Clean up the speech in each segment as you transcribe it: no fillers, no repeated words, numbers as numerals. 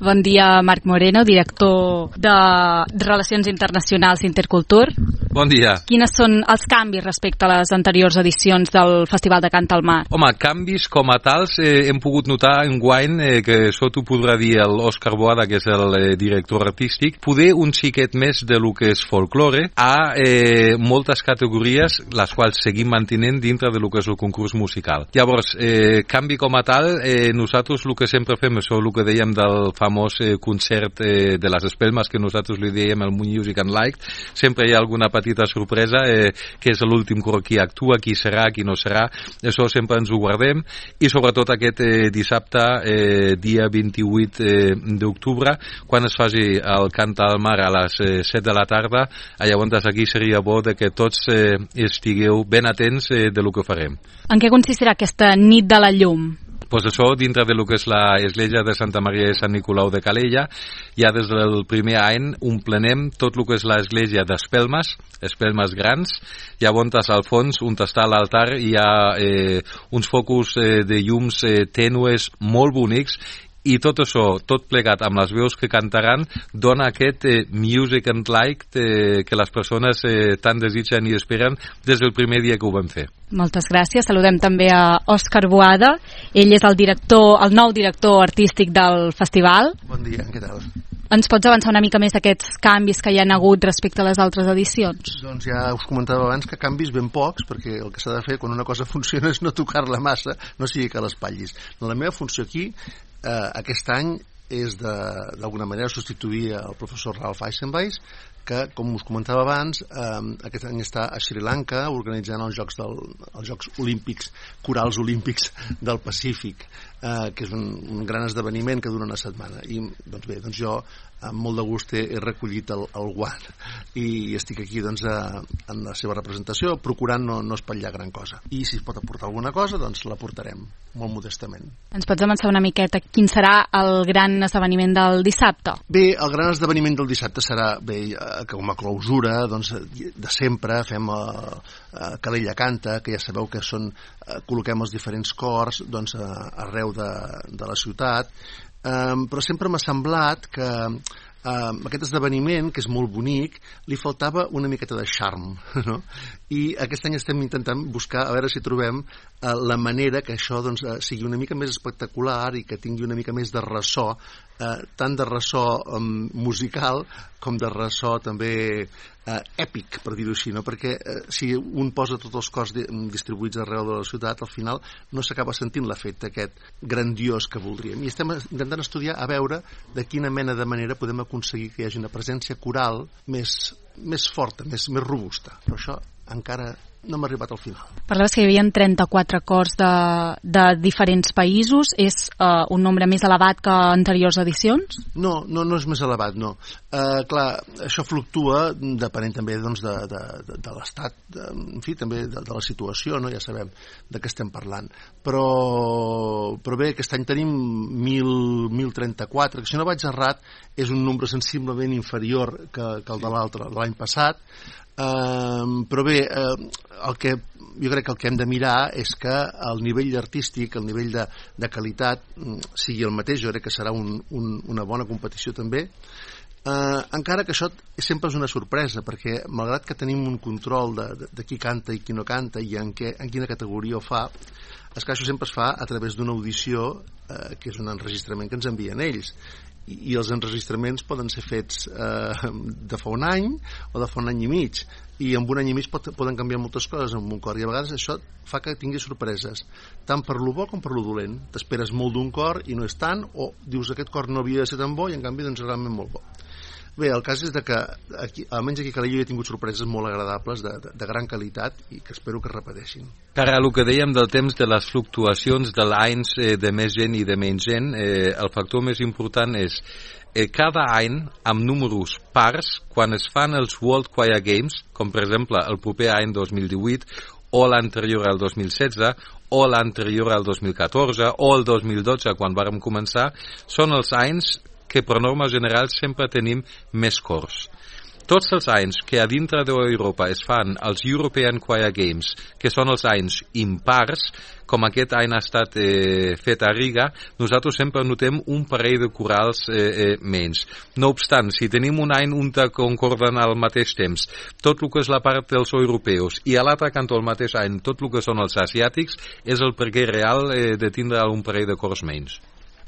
Bon dia, Marc Moreno, director de Relacions Internacionals d'Intercultur. Bon dia. Quines són els canvis respecte a les anteriors edicions del Festival de Cant al Mar? Home, canvis com a tals hem pogut notar enguany, que això t'ho podrà dir l'Òscar Boada, que és el director artístic, poder un xiquet més de lo que és folklore a moltes categories, les quals seguim mantenint dintre de lo que és el concurs musical. Llavors, canvi com a tal, nosaltres el que sempre fem, això el que dèiem del famós concert de les espelmes, que nosaltres li dèiem el Music and Light, sempre hi ha alguna petita sorpresa, que és l'últim qui actua, qui serà, qui no serà, això sempre ens ho guardem, i sobretot aquest dissabte, dia 28 d'octubre, quan es faci el Cant al Mar a les 7 de la tarda, llavors aquí seria bo que tots estigueu ben atents de lo que farem. En què consistirà aquesta nit de la llum? Pues això, dintre de lo que és l'església de Santa Maria de Sant Nicolau de Calella, ja des del primer any omplenem tot el que és l'església d'espelmes, espelmes grans, llavors al fons, on està l'altar, hi ha uns focus de llums tènues molt bonics, i tot això, tot plegat amb les veus que cantaran, dona aquest music and light que les persones tant desitgen i esperen des del primer dia que ho vam fer. Moltes gràcies. Saludem també a Òscar Boada. Ell és el nou director artístic del festival. Bon dia, què tal? Ens pots avançar una mica més d'aquests canvis que hi ha hagut respecte a les altres edicions? Doncs ja us comentava abans que canvis ben pocs, perquè el que s'ha de fer quan una cosa funciona és no tocar-la massa, no sigui que l'espatllis. La meva funció aquí, aquest any, és d'alguna manera substituir el professor Ralph Eisenweis, que, com us comentava abans, aquest any està a Sri Lanka organitzant els Jocs Olímpics, Corals Olímpics del Pacífic, que és un gran esdeveniment que dura una setmana. I doncs jo amb molt de gust he recollit el guant i estic aquí en la seva representació, procurant no espatllar gran cosa. I si es pot aportar alguna cosa, doncs la portarem molt modestament. Ens pots avançar una miqueta quin serà el gran esdeveniment del dissabte? Bé, el gran esdeveniment del dissabte serà, com a clausura, doncs, de sempre fem Calella Canta, que ja sabeu que col·loquem els diferents cors arreu de la ciutat, però sempre m'ha semblat que aquest esdeveniment, que és molt bonic, li faltava una miqueta de charm, no? I aquest any estem intentant buscar, a veure si trobem la manera que això sigui una mica més espectacular i que tingui una mica més de ressò, tant de ressò musical com de ressò també èpic, per dir-ho així, no? Perquè si un posa tots els cors distribuïts arreu de la ciutat, al final no s'acaba sentint l'efecte aquest grandiós que voldríem. I estem intentant estudiar a veure de quina mena de manera podem aconseguir que hi hagi una presència coral més forta, més robusta. Però això encara no hem arribat al final. Parlaves que hi havia 34 cors de diferents països. És un nombre més elevat que anteriors edicions? No és més elevat, no. Clar, això fluctua depenent també de l'estat, en fi, també de la situació, no? Ja sabem de què estem parlant. Però bé, aquest any tenim 1.034, que si no vaig errat és un nombre sensiblement inferior que el de l'any passat. Però bé, jo crec que el que hem de mirar és que el nivell artístic, el nivell de qualitat sigui el mateix. Jo crec que serà una bona competició també, encara que això sempre és una sorpresa, perquè malgrat que tenim un control de qui canta i qui no canta i en quina categoria ho fa, és que això sempre es fa a través d'una audició, que és un enregistrament que ens envien ells, i els enregistraments poden ser fets de fa un any o de fa un any i mig, i en un any i mig poden canviar moltes coses en un cor, i a vegades això fa que tingui sorpreses, tant per lo bo com per lo dolent. T'esperes molt d'un cor i no és tant, o dius aquest cor no havia de ser tan bo i en canvi és realment molt bo. Bé, el cas és que almenys aquí a Calella he tingut sorpreses molt agradables de gran qualitat i que espero que es repeteixin. Ara, el que dèiem del temps de les fluctuacions de l'anys de més gent i de menys gent, el factor més important és cada any amb números pars, quan es fan els World Choir Games, com per exemple el proper any 2018 o l'anterior al 2016 o l'anterior al 2014 o el 2012 quan vàrem començar, són els anys que per norma general sempre tenim més cors. tots els anys que a dintre d'Europa es fan els European Choir Games, que són els anys impars, com aquest any ha estat fet a Riga, nosaltres sempre notem un parell de corals menys. No obstant, si tenim un any on concorden al mateix temps tot el que és la part dels europeus i a l'altre cantó al mateix any tot el que són els asiàtics, és el perquè real de tindre un parell de cors menys.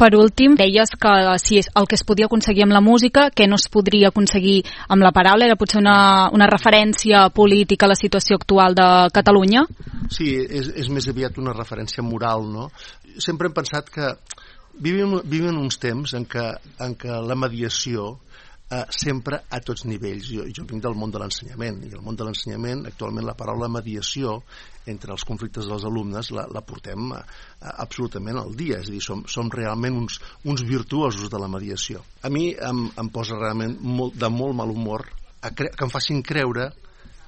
Per últim, deies que si el que es podia aconseguir amb la música, que no es podria aconseguir amb la paraula, era potser una referència política a la situació actual de Catalunya? Sí, és més aviat una referència moral, no? Sempre hem pensat que vivim uns temps en què la mediació sempre a tots nivells. Jo vinc del món de l'ensenyament, i el món de l'ensenyament, actualment la paraula mediació entre els conflictes dels alumnes la portem absolutament al dia, és a dir, som realment uns virtuosos de la mediació. A mi em posa realment de molt mal humor que em facin creure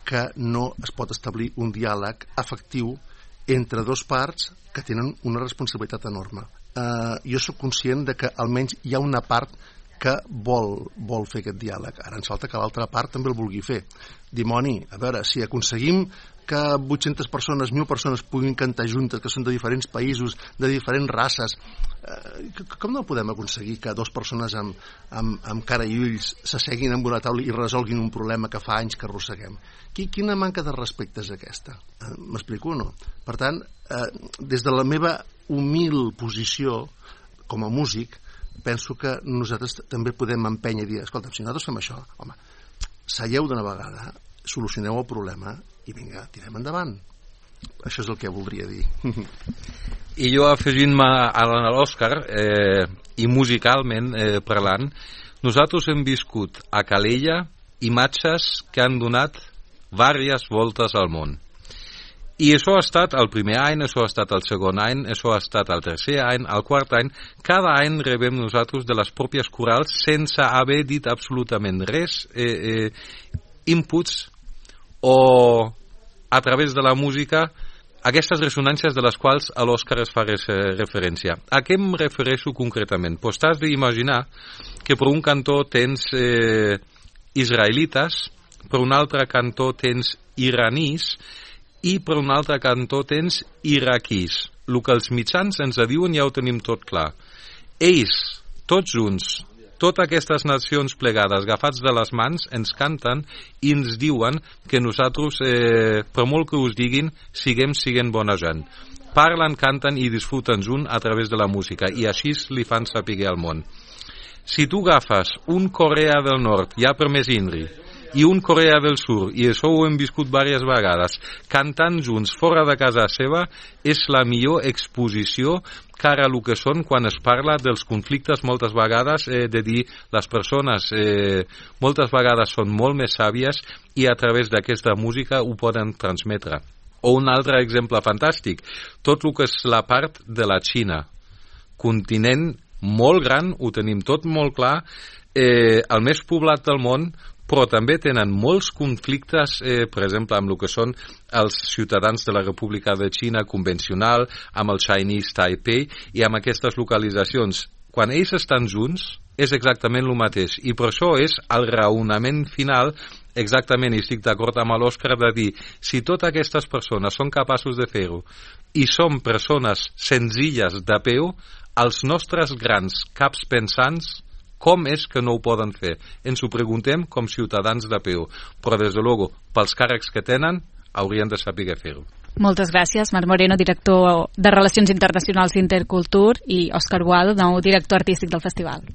que no es pot establir un diàleg efectiu entre dos parts que tenen una responsabilitat enorme. Jo sóc conscient de que almenys hi ha una part que vol fer aquest diàleg. Ara ens falta que l'altra part també el vulgui fer. Dimoni, a veure, si aconseguim que 800 persones, 1.000 persones puguin cantar juntes, que són de diferents països, de diferents races, com no podem aconseguir que dues persones amb cara i ulls s'asseguin en una taula i resolguin un problema que fa anys que arrosseguem? Quina manca de respecte és aquesta? M'explico o no? Per tant, des de la meva humil posició com a músic, penso que nosaltres també podem empènyer i dir, escolta, si nosaltres fem això, home, seieu d'una vegada, solucioneu el problema i vinga, tirem endavant. Això és el que voldria dir. I jo, afegint-me a l'Òscar, i musicalment parlant, nosaltres hem viscut a Calella imatges que han donat diverses voltes al món. I això ha estat el primer any, això ha estat el segon any, això ha estat el tercer any, el quart any. Cada any rebem nosaltres de les pròpies corals sense haver dit absolutament res, inputs o a través de la música, aquestes ressonàncies de les quals a l'Òscar es fa referència. A què em refereixo concretament? Pues t'has d'imaginar que per un cantó tens israelites, per un altre cantó tens iranís, i per un altre cantó tens iraquís. El que els mitjans ens diuen ja ho tenim tot clar. Ells, tots junts, totes aquestes nacions plegades, agafats de les mans, ens canten i ens diuen que nosaltres, per molt que us diguin, siguem bona gent. Parlen, canten i disfruten junt a través de la música i així li fan saber al món. Si tu agafes un Corea del Nord, ja per més INRI, i un Corea del Sur, i això ho hem viscut diverses vegades, cantant junts fora de casa seva, és la millor exposició cara a el que són quan es parla dels conflictes moltes vegades, de dir les persones moltes vegades són molt més sàvies i a través d'aquesta música ho poden transmetre. O un altre exemple fantàstic, tot el que és la part de la Xina, continent molt gran, ho tenim tot molt clar, el més poblat del món, però també tenen molts conflictes, per exemple, amb el que són els ciutadans de la República de Xina convencional, amb el Chinese Taipei i amb aquestes localitzacions. Quan ells estan junts, és exactament el mateix. I per això és el raonament final, exactament, i estic d'acord amb l'Òscar, de dir, si totes aquestes persones són capaços de fer-ho i som persones senzilles de peu, els nostres grans caps pensants, com és que no ho poden fer? Ens ho preguntem com ciutadans de peu, però des de luego, pels càrrecs que tenen, haurien de saber fer-ho. Moltes gràcies, Marc Moreno, director de Relacions Internacionals d'Intercultur, i Òscar Boado, nou director artístic del festival.